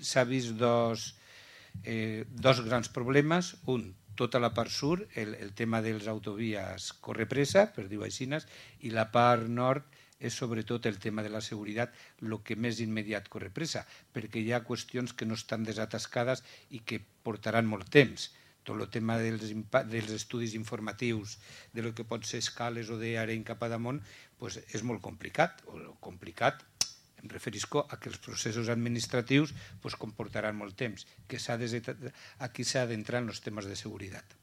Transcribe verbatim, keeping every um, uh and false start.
S'ha vist dos, eh, dos grans problemes. Un, tota la part sud, el, el tema dels autovies corre-pressa, per dir-ho així, i la part nord és sobretot el tema de la seguretat, el que més immediat corre-pressa, perquè hi ha qüestions que no estan desatascades i que portaran molt temps. Tot el tema dels, dels estudis informatius, de lo que pot ser escales o d'Arenys cap a damunt, pues és molt complicat. O complicat, em referisco a que els processos administratius pues, comportaran molt temps, que aquí s'ha d'entrar en els temes de seguretat.